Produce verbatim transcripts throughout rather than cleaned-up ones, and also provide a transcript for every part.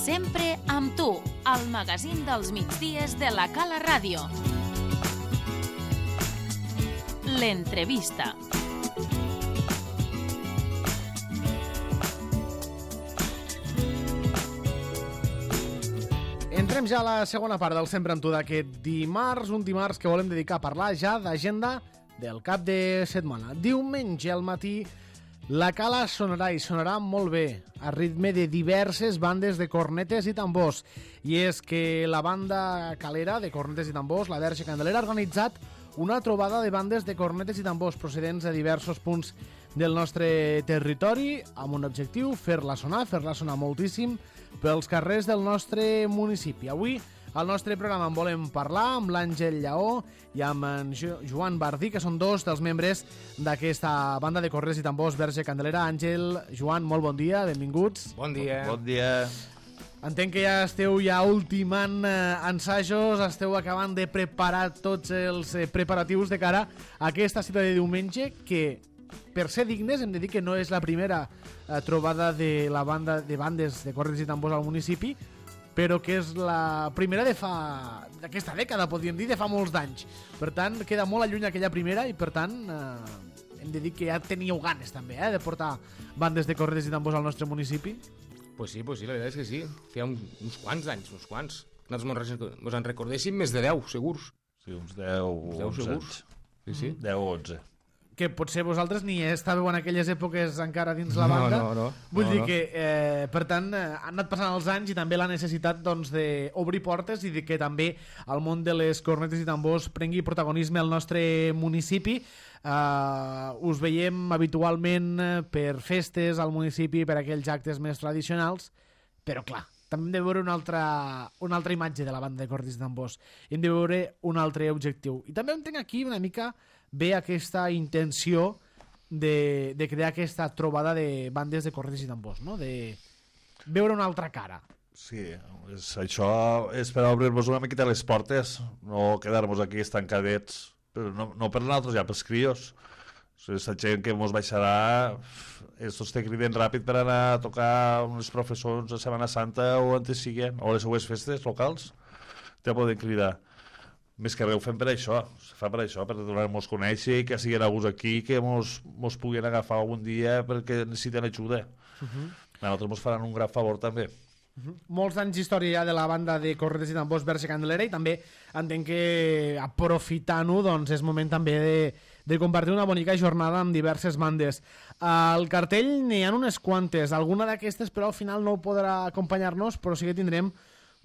Sempre amb tu, al magazín dels migdies de la Cala Ràdio. L'entrevista. Entrem ja a la segona part del Sempre amb tu d'aquest dimarts, un dimarts que volem dedicar a parlar ja d'agenda del cap de setmana. Diumenge al matí la Cala sonarà i sonarà molt bé, a ritme de diverses bandes de cornetes i tambors. I és que la banda calera de cornetes i tambors, la Verge Candelera, ha organitzat una trobada de bandes de cornetes i tambors procedents de diversos punts del nostre territori, amb un objectiu, fer-la sonar, fer-la sonar moltíssim pels carrers del nostre municipi. Avui, al nostre programa en volem parlar amb l'Àngel Lleó i amb en jo Joan Bardí, que són dos dels membres d'aquesta banda de cornetes i tambors Verge Candelera. Àngel, Joan, molt bon dia, benvinguts. Bon dia. Bon dia. Entenc que ja esteu ja ultimant eh, ensajos, esteu acabant de preparar tots els eh, preparatius de cara a aquesta cita de diumenge, que per ser dignes hem de dir que no és la primera eh, trobada de la banda de bandes de cornetes i tambors al municipi, però que és la primera de fa d'aquesta dècada, podríem dir, de fa molts d'anys. Per tant, queda molt alluny aquella primera i, per tant, eh, hem de dir que ja teníeu ganes també, eh, de portar bandes de cornetes i tambors al nostre municipi. Pues sí, pues sí, la veritat és que sí. Feia un, uns quants anys, uns quants. Nosaltres mos en recordéssim més de deu, segurs. Sí, uns deu, uns deu segurs. Sí, sí. deu o onze. Que potser vosaltres ni estàveu en aquelles èpoques encara dins la banda. No, no, no. Vull no, dir no. que, eh, per tant, eh, han anat passant els anys i també la necessitat doncs, d'obrir portes i de que també el món de les cornetes i tambors prengui protagonisme al nostre municipi. Uh, us veiem habitualment per festes al municipi, per aquells actes més tradicionals, però clar, també hem de veure una altra, una altra imatge de la banda de cornetes i tambors. Hem de veure un altre objectiu. I també entenc aquí una mica bé aquesta intenció de, de crear aquesta trobada de bandes de cornetes i tambors, no? De veure una altra cara. Sí, és, això és per obrir-nos una miqueta les portes, no quedar-nos aquí estancadets, però no, no per nosaltres, ja pels crios. Aquesta gent que ens baixarà, estos te criden ràpid per anar a tocar unes professors a Setmana Santa o on te siguen, o les seues festes locals, te poden cridar. Més que res ho fem per això, se fa per això, per donar-nos conèixer, que siguin alguns aquí, que mos, mos puguin agafar algun dia perquè necessiten ajuda. Uh-huh. A nosaltres mos faran un gran favor també. Uh-huh. Molts anys d'història ja de la banda de cornetes i tambors Verge Candelera, i també entenc que aprofitant-ho doncs és moment també de, de compartir una bonica jornada amb diverses bandes. Al cartell n'hi ha unes quantes, alguna d'aquestes però al final no podrà acompanyar-nos, però sí que tindrem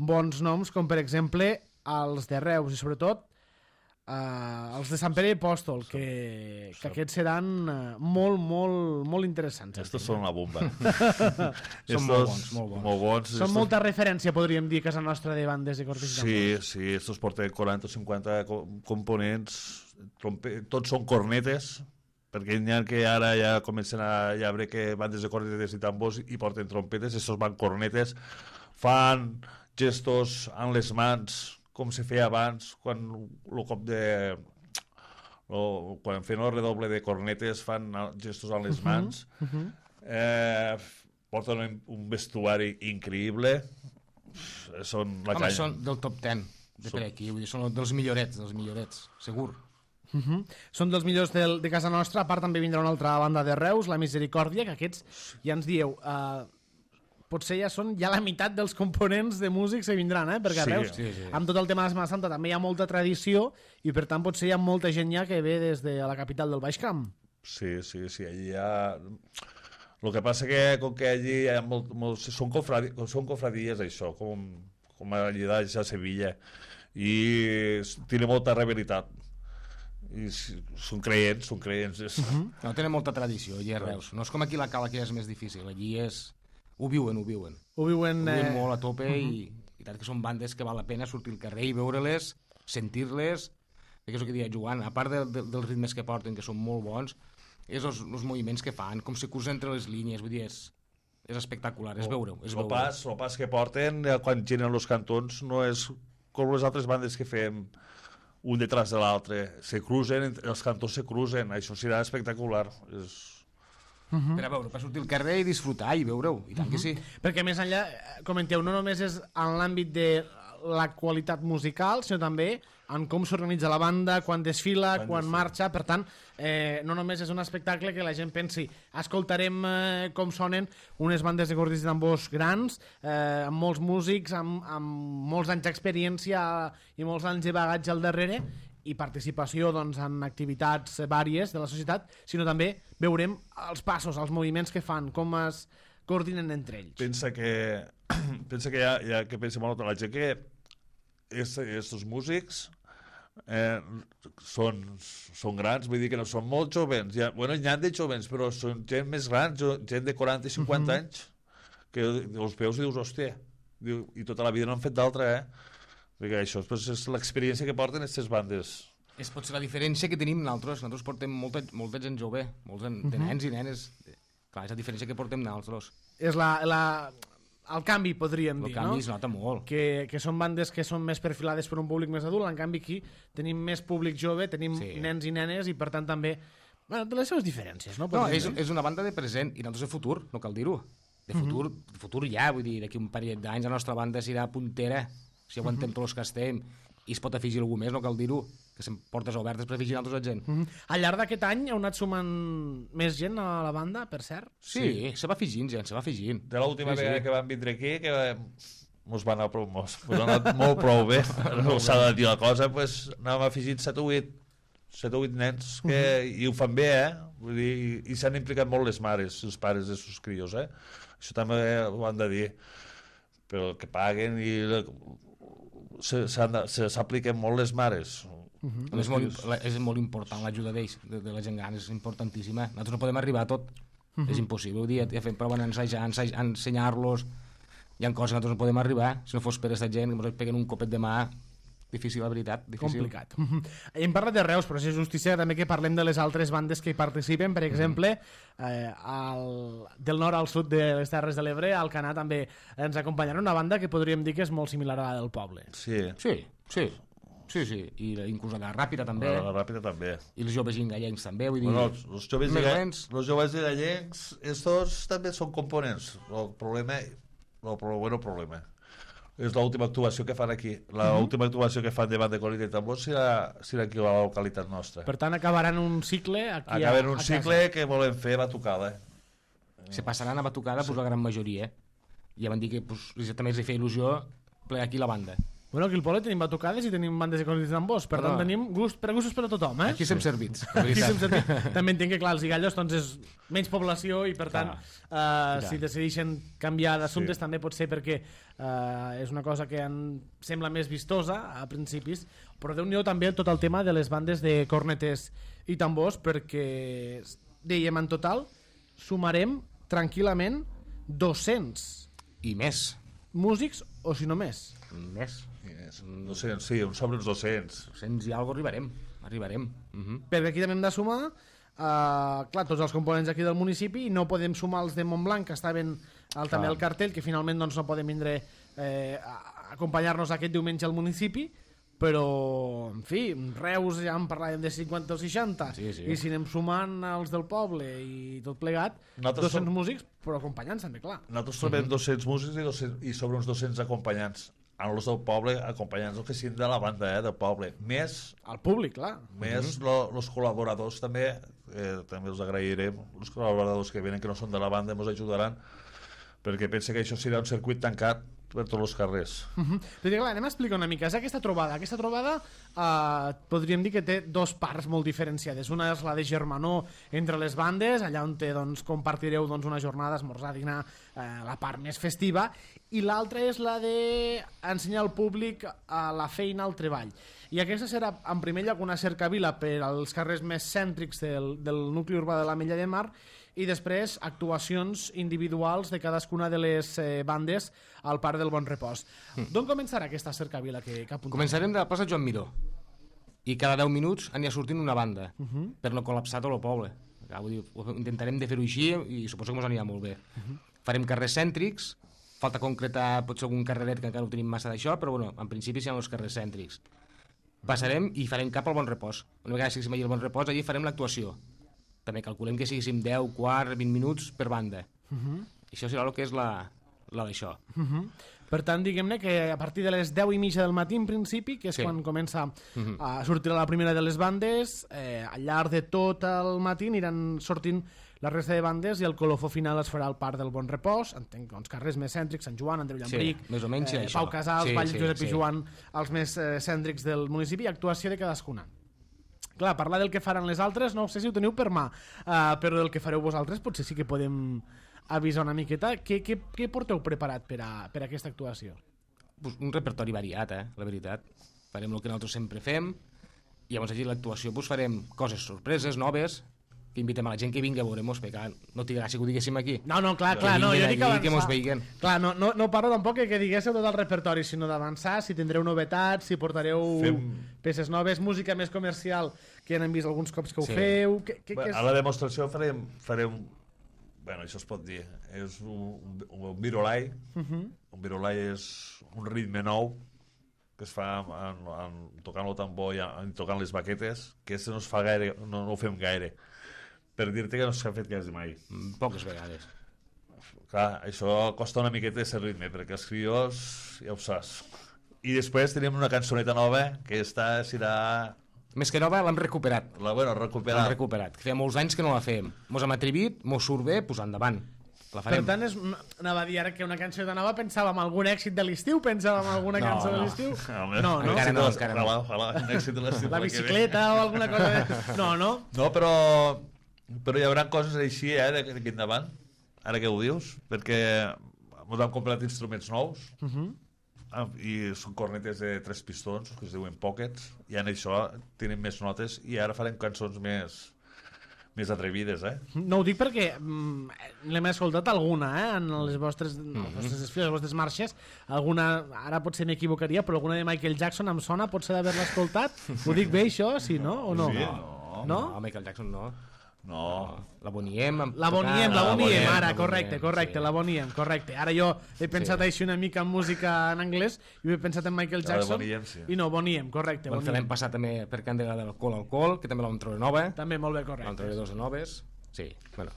bons noms, com per exemple els de Reus i sobretot Uh, els de Sant Pere i Apòstol, que, que aquests seran uh, molt, molt, molt interessants. Estos són la bomba. Són molt bons, molt bons. Molt bons. Són estos... molta referència, podríem dir, a casa nostra de bandes de cornetes i tambors. Sí, sí, estos porten quaranta o cinquanta components, trompe... tots són cornetes, perquè n'hi ha que ara ja comencen a ja veure que bandes de cornetes i tambors i porten trompetes, estos van cornetes, fan gestos amb les mans, com se feia abans, quan el cop de... O, quan feien el redoble de cornetes fan gestos amb les mans. Uh -huh, uh -huh. eh, porten un, un vestuari increïble. Són la Home, canya. són del top deu de per aquí, vull dir, són dels millorets, dels millorets, segur. Uh -huh. Són dels millors del, de casa nostra. A part també vindrà una altra banda de Reus, la Misericòrdia, que aquests ja ens dieu... Uh, potser ja són ja la meitat dels components de músics que vindran, eh? Perquè a Reus, sí, sí, sí. amb tot el tema de la Setmana Santa, també hi ha molta tradició i, per tant, potser hi ha molta gent ja que ve des de la capital del Baix Camp. Sí, sí, sí, allí hi ha... El que passa que, com que allí hi ha molt, molt, són, confradi... són confradies, això, com, com allí a Sevilla, i tiene molta rivalitat. I són creients, són creients. Uh-huh. No, tenen molta tradició, allí a Reus. No és com aquí la Cala, que és més difícil. Allí és... Ho viuen, ho viuen. Ho viuen, ho viuen eh... molt a tope uh-huh. i, i tant que són bandes que val la pena sortir al carrer i veure-les, sentir-les, que és el que deia Joan, a part de, de, dels ritmes que porten, que són molt bons, és els, els moviments que fan, com se cruza entre les línies, vull dir, és, és espectacular, és veure-ho. El pas, el pas que porten quan giren els cantons no és com les altres bandes que fem un detrás de l'altre, se cruzen, els cantons se cruzen, això serà espectacular. És... -huh. per a veure, per sortir al carrer i disfrutar i veure-ho, i tant uh -huh. que sí. Perquè més enllà, comenteu, no només és en l'àmbit de la qualitat musical, sinó també en com s'organitza la banda, quan desfila, quan, quan marxa. Per tant, eh, no només és un espectacle que la gent pensi escoltarem eh, com sonen unes bandes de cordis i tambors grans, eh, amb molts músics, amb, amb molts anys d'experiència i molts anys de bagatge al darrere, i participació doncs, en activitats vàries de la societat, sinó també veurem els passos, els moviments que fan, com es coordinen entre ells. Pensa que, pensa que hi ha, hi ha que pensa molt la gent que aquests músics eh, són, són grans, vull dir que no són molt jovens. Hi ha, bueno, hi ha de jovens, però són gent més grans, gent de quaranta i cinquanta uh -huh. anys, que els veus i dius, hòstia, diu, i tota la vida no han fet d'altra, eh? Perquè això pues, és l'experiència que porten aquestes bandes. És pot ser la diferència que tenim nosaltres. Nosaltres portem molta, molta gent jove, molts de uh -huh. nens i nenes. Clar, és la diferència que portem nosaltres. És la... la... el canvi, podríem el dir, canvi no? es nota molt. Que, que són bandes que són més perfilades per un públic més adult, en canvi aquí tenim més públic jove, tenim sí. nens i nenes, i per tant també... Bueno, de les seves diferències, no? No, és, és una banda de present, i nosaltres de futur, no cal dir-ho. De futur, uh -huh. de futur ja, vull dir, d'aquí un parell d'anys la nostra banda serà puntera, si aguantem uh -huh. tots els que estem, i es pot afegir algú més, no cal dir-ho, que són portes obertes per afegir altres gent. Uh -huh. Al llarg d'aquest any heu anat sumant més gent a la banda, per cert? Sí, sí. se va afegint gent, se va afegint. De l'última sí, vegada sí. que vam vindre aquí, que mos va anar prou, mos, mos ha anat molt prou bé, no s'ha de dir la cosa, pues, anàvem afegint set o vuit nens, que, uh -huh. i ho fan bé, eh? Vull dir, i, i s'han implicat molt les mares, els pares de sus crios, eh? Això també ho han de dir. Però que paguen i s'apliquen molt les mares. Uh -huh. és, molt, és molt important l'ajuda d'ells, de, de la gent gran, és importantíssima. Nosaltres no podem arribar a tot, uh -huh. és impossible. Ho dia, ja fem prova d'ensejar, ensenyar-los, hi ha coses que nosaltres no podem arribar, si no fos per aquesta gent que ens peguen un copet de mà, difícil, la veritat, difícil. Complicat. Uh -huh. Hem parlat de Reus, però és justícia també que parlem de les altres bandes que hi participen, per exemple, eh, al, del nord al sud de les Terres de l'Ebre, al Canà també ens acompanyarà una banda que podríem dir que és molt similar a la del poble. Sí. Sí, sí. Sí, sí, i inclús la Ràpida també. La Ràpida també. I els joves gallencs també, vull dir... Bueno, els, els joves gallencs, els joves gallencs, estos també són components. El problema, el bueno, problema, és l'última actuació que fan aquí. L'última actuació que fan davant de Colita i Tambor serà, serà aquí a la localitat nostra. Per tant, acabaran un cicle aquí Acaben a, un a cicle que volem fer la tocada. Se passaran a batucada, sí. pues, la gran majoria. Ja van dir que pues, també els feia il·lusió plegar aquí la banda. Bueno, aquí al poble tenim batucades i tenim bandes de cordis i tambors, per no. tant tenim gust, per gustos per a tothom, eh? Aquí som sí. servits. Aquí som servits. També entenc que, clar, els Igallos doncs, és menys població i, per tant, uh, si decideixen canviar d'assumptes sí. també pot ser perquè uh, és una cosa que en sembla més vistosa a principis, però Déu-n'hi-do també tot el tema de les bandes de cornetes i tambors, perquè, dèiem, en total sumarem tranquil·lament dos-cents i més músics, o si no més. Més. Yes. dos-cents, sí, uns sobre uns dos-cents. dos-cents i alguna arribarem. Arribarem. Uh -huh. Perquè aquí també hem de sumar uh, clar, tots els components aquí del municipi, i no podem sumar els de Montblanc, que estaven al, també al cartell, que finalment doncs, no podem vindre eh, a acompanyar-nos aquest diumenge al municipi, però, en fi, Reus ja en parlàvem de cinquanta o seixanta, sí, sí. i si anem sumant els del poble i tot plegat, Nosaltres dos-cents som... músics, però acompanyants també, clar. Nosaltres trobem uh -huh. dos-cents músics i, dos-cents, i sobre uns dos-cents acompanyants. En els del poble, acompanyants el que siguin de la banda, eh, del poble. Més... El públic, clar. Més uh -huh. els col·laboradors també, eh, també els agrairem, els col·laboradors que venen, que no són de la banda, ens ajudaran, perquè pensa que això serà un circuit tancat per tots els carrers. Uh -huh. Però, clar, anem a explicar una mica. És aquesta trobada. Aquesta trobada eh, podríem dir que té dos parts molt diferenciades. Una és la de germanor entre les bandes, allà on té, doncs, compartireu doncs, una jornada, esmorzar, dinar, eh, la part més festiva, i l'altra és la de ensenyar al públic a la feina, al treball. I aquesta serà, en primer lloc, una cercavila per als carrers més cèntrics del, del nucli urbà de l'Ametlla de Mar, i després actuacions individuals de cadascuna de les eh, bandes al Parc del Bon Repòs. Mm. D'on començarà aquesta cercavila que, que apuntem? Començarem de la plaça Joan Miró, i cada deu minuts anirà sortint una banda, uh -huh. per no col·lapsar tot el poble. Vull dir, intentarem de fer-ho així i suposo que ens anirà molt bé. Uh -huh. Farem carrers cèntrics, falta concretar potser algun carreret que encara no tenim massa d'això, però bueno, en principi seran els carrers cèntrics. Passarem i farem cap al Bon Repòs. Una vegada que siguem allà al Bon Repòs, allí farem l'actuació. també calculem que siguéssim deu, quart, vint minuts per banda. Uh -huh. Això serà el que és la, la d'això. Uh -huh. Per tant, diguem-ne que a partir de les deu i mitja del matí, en principi, que és Sí. quan comença Uh-huh. a sortir la primera de les bandes, eh, al llarg de tot el matí aniran sortint la resta de bandes i el colofó final es farà al Parc del Bon Repòs, entenc que els carrers més cèntrics, Sant Joan, Andreu Llambric, Sí, més o menys eh, això. Pau Casals, Sí, Vall sí, Josep sí. i Joan, els més eh, cèntrics del municipi, i actuació de cadascuna. Clar, parlar del que faran les altres, no sé si ho teniu per mà, uh, però del que fareu vosaltres potser sí que podem avisar una miqueta. Què, què, què porteu preparat per a, per a aquesta actuació? Pues un repertori variat, eh, la veritat. Farem el que nosaltres sempre fem, i llavors allí l'actuació pues, farem coses sorpreses, noves, que invitem a la gent que vingui a veure-mos, perquè no té gràcia que ho diguéssim aquí. No, no, clar, Que clar, no, jo vinguin dic allí, avançar. que mos veiguen. Clar, no, no, no parlo tampoc que, que diguéssiu tot el repertori, sinó d'avançar, si tindreu novetats, si portareu Fem- peces noves, música més comercial, que ja n'hem vist alguns cops que ho Sí. feu... Que, que, Bé, que és... a la demostració farem, farem bueno, això es pot dir, és un, un, un virolai. Uh -huh. Un virolai és un ritme nou que es fa en, en, tocant el tambor i en, tocant les baquetes, que això no es fa gaire, no, no ho fem gaire. Per dir-te que no s'ha fet quasi mai. Mm, Poques vegades. Clar, això costa una miqueta de ser ritme, perquè els crios ja ho saps. I després tenim una cançoneta nova que està, serà... Més que nova, l'hem recuperat. La, bueno, L'hem recuperar. recuperat. Que feia molts anys que no la fèiem. Mos hem atrevit, mos surt bé, pues endavant. La Per farem. tant, és, anava a dir ara que una cançó de nova pensàvem en algun èxit de l'estiu, pensàvem en alguna No, cançó de no. l'estiu. Home, No, no. Encara no, Èxit de- encara no. Ojalà, ojalà, un èxit de l'estiu La l'any que ve. bicicleta o alguna cosa de... No, no. No, però, però hi haurà coses així, eh, d'aquí endavant, ara que ho dius, perquè ens hem comprat instruments nous, Uh -huh. ah, i són cornetes de tres pistons, que es diuen pockets, i en això tenen més notes, i ara farem cançons més, més atrevides, eh? No ho dic perquè mm, l'hem escoltat alguna, eh, en les vostres, mm -hmm. les vostres desfiles, les vostres marxes, alguna, ara potser m'equivocaria, però alguna de Michael Jackson em sona, potser d'haver-la escoltat. Ho dic bé, això, sí, no? O no? Sí, No? no. No, Michael Jackson no. No. La Boniem. amb- La Boniem, tocant- la la Boniem, Boniem, ara, la correcte, Boniem, correcte, sí. la Boniem, correcte. Ara jo he pensat Sí. així una mica en música en anglès i he pensat en Michael La de Jackson. Boniem, sí. I no, Boniem, correcte, Vam fer l'any Boniem. passat també per Candela d'Alcohol Alcohol, que també la vam treure nova. També molt bé, Vam treure correcte. dos de noves. Sí, bueno.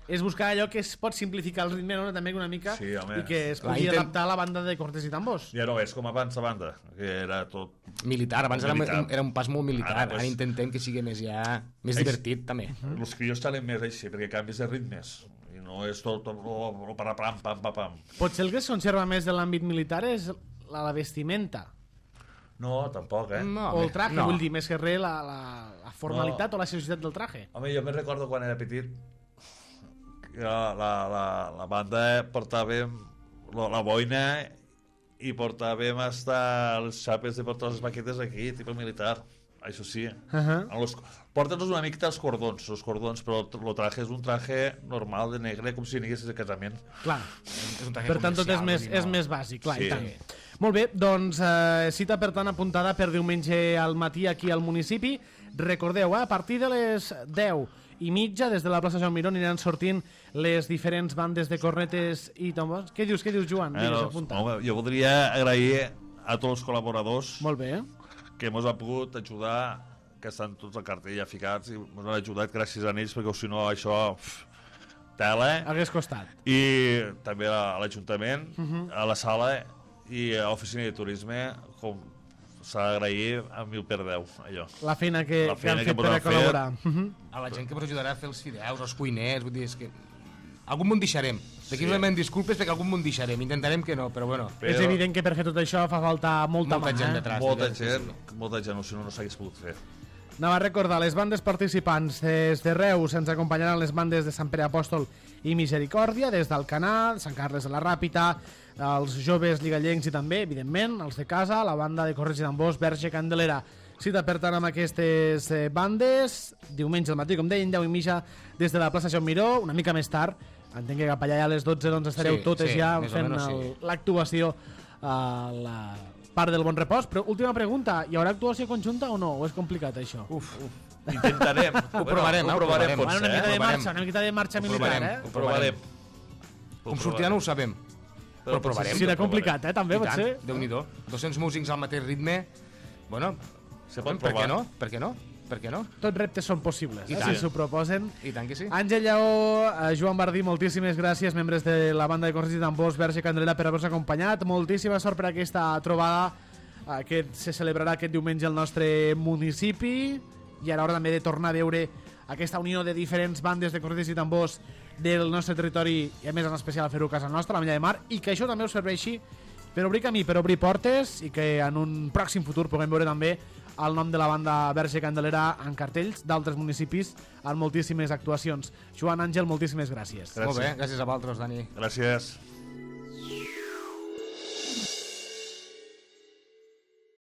És buscar allò que es pot simplificar el ritme, no? També una mica, Sí, home. i que es Clar, pugui intent- adaptar a la banda de cortes i tambors. Ja no és com abans la banda, que era tot... Militar, abans era, Militar. un- era un pas molt militar. Ara, Ara, pues- Ara intentem que sigui més ja... Més Eix- divertit, també. Mm. Els crios talen més així, perquè canvis de ritmes, i no és tot o, o para pam, pam, pam, pam. Potser el que es conserva més de l'àmbit militar és la, la vestimenta. No, tampoc, eh? No, O el traje, no. vull dir, més que res la, la, la formalitat No. o la seriositat del traje. Home, jo me recordo quan era petit que la, la, la, la banda portàvem la, la boina i portàvem hasta les xapes de portar les baquetes aquí, tipus militar. Això sí. Uh -huh. En los, porten-nos una mica els cordons, els cordons, però el traje és un traje normal de negre, com si anessis de casament. Clar. És un traje Per tant, tot és comercial, més, vull dir, és no. més bàsic, clar, Sí. i tant. Molt bé, doncs eh, cita per tant apuntada per diumenge al matí aquí al municipi. Recordeu, eh, a partir de les deu i mitja, des de la plaça Joan Miró, aniran sortint les diferents bandes de cornetes i tambors. Què dius, què dius, Joan? Eh, Digues, no, apunta. home, jo voldria agrair a tots els col·laboradors Molt bé. que ens han pogut ajudar, que estan tots al cartell ja ficats, i ens han ajudat gràcies a ells, perquè si no això... Pff, tela. Hagués costat. I també a l'Ajuntament, Uh -huh. a la sala i a l'oficina de turisme, com s'ha d'agrair a mil per deu, allò. La feina que, La que feina han que fet per a podran fer. col·laborar. Uh -huh. A la gent que ens ajudarà a fer els fideus, els cuiners, vull dir, és que... Algun m'ho deixarem. D'aquí Sí. us sí. disculpes perquè algun m'ho deixarem. Intentarem que no, però bueno. Però- És evident que per fer tot això fa falta molta, Molta mà, gent eh? detrás. Molta Sí, sí, gent, molta gent, o si no, no s'hagués pogut fer. Anava a recordar, les bandes participants des de Reus ens acompanyaran les bandes de Sant Pere Apòstol i Misericòrdia, des d'Alcanar, Sant Carles de la Ràpita, els joves ligallencs i també, evidentment, els de casa, la banda de Corrents i Tambors, Verge Candelera. Cita, per tant, amb aquestes eh, bandes, diumenge al matí, com deien, deu i mitja, des de la plaça Joan Miró, una mica més tard. Entenc que cap allà a les dotze doncs, estareu Sí, totes sí, ja més o fent menys el- sí. l'actuació a la Parc del Bon Repòs. Però última pregunta, hi haurà actuació conjunta o no? O és complicat, això? Uf, uf. Intentarem. Ho provarem, eh, ho ho provarem, provarem. Bueno, una potser, mica eh? de provarem. marxa, una mica de marxa Ho militar, provarem. eh? Ho provarem. Com sortirà no ho sabem. Però provarem. Sí, era complicat, eh? També I pot tant, ser. Déu-n'hi-do. dos-cents músics al mateix ritme. Bueno, Se pot per provar. què no? Per què no? Per què no? Tots reptes són possibles, I eh, tant. si s'ho proposen. I tant que sí. Àngel Lleó, eh, Joan Bardí, moltíssimes gràcies, membres de la banda de Corrents i Tambors, Verge Candelera, per haver-nos acompanyat. Moltíssima sort per aquesta trobada eh, que se celebrarà aquest diumenge al nostre municipi, i a l'hora també de tornar a veure aquesta unió de diferents bandes de Corrents i Tambors del nostre territori, i a més en especial fer-ho a casa nostra, a la Milla de Mar, i que això també us serveixi per obrir camí, per obrir portes, i que en un pròxim futur puguem veure també el nom de la banda Verge Candelera en cartells d'altres municipis en moltíssimes actuacions. Joan, Àngel, moltíssimes gràcies. Gràcies. Molt bé, gràcies a vosaltres, Dani. Gràcies.